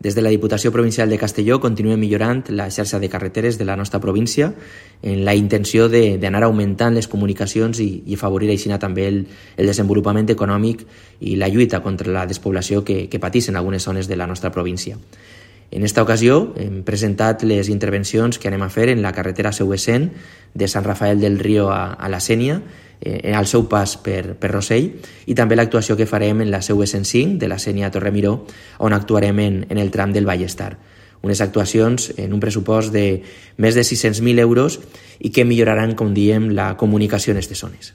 Des de la Diputació Provincial de Castelló continuem millorant la xarxa de carreteres de la nostra província en la intenció d'anar augmentant les comunicacions i afavorir així també el desenvolupament econòmic i la lluita contra la despoblació que pateixen algunes zones de la nostra província. En esta ocasió hem presentat les intervencions que anem a fer en la carretera Seu-Essent de Sant Rafael del Río a la Sénia, al seu pas per Rossell, i també l'actuació que farem en la Seu-Essent 5 de la Sénia a Torremiró, on actuarem en el tram del Vallestar. Unes actuacions en un pressupost de més de 600.000 euros i que milloraran, com diem, la comunicació en aquestes zones.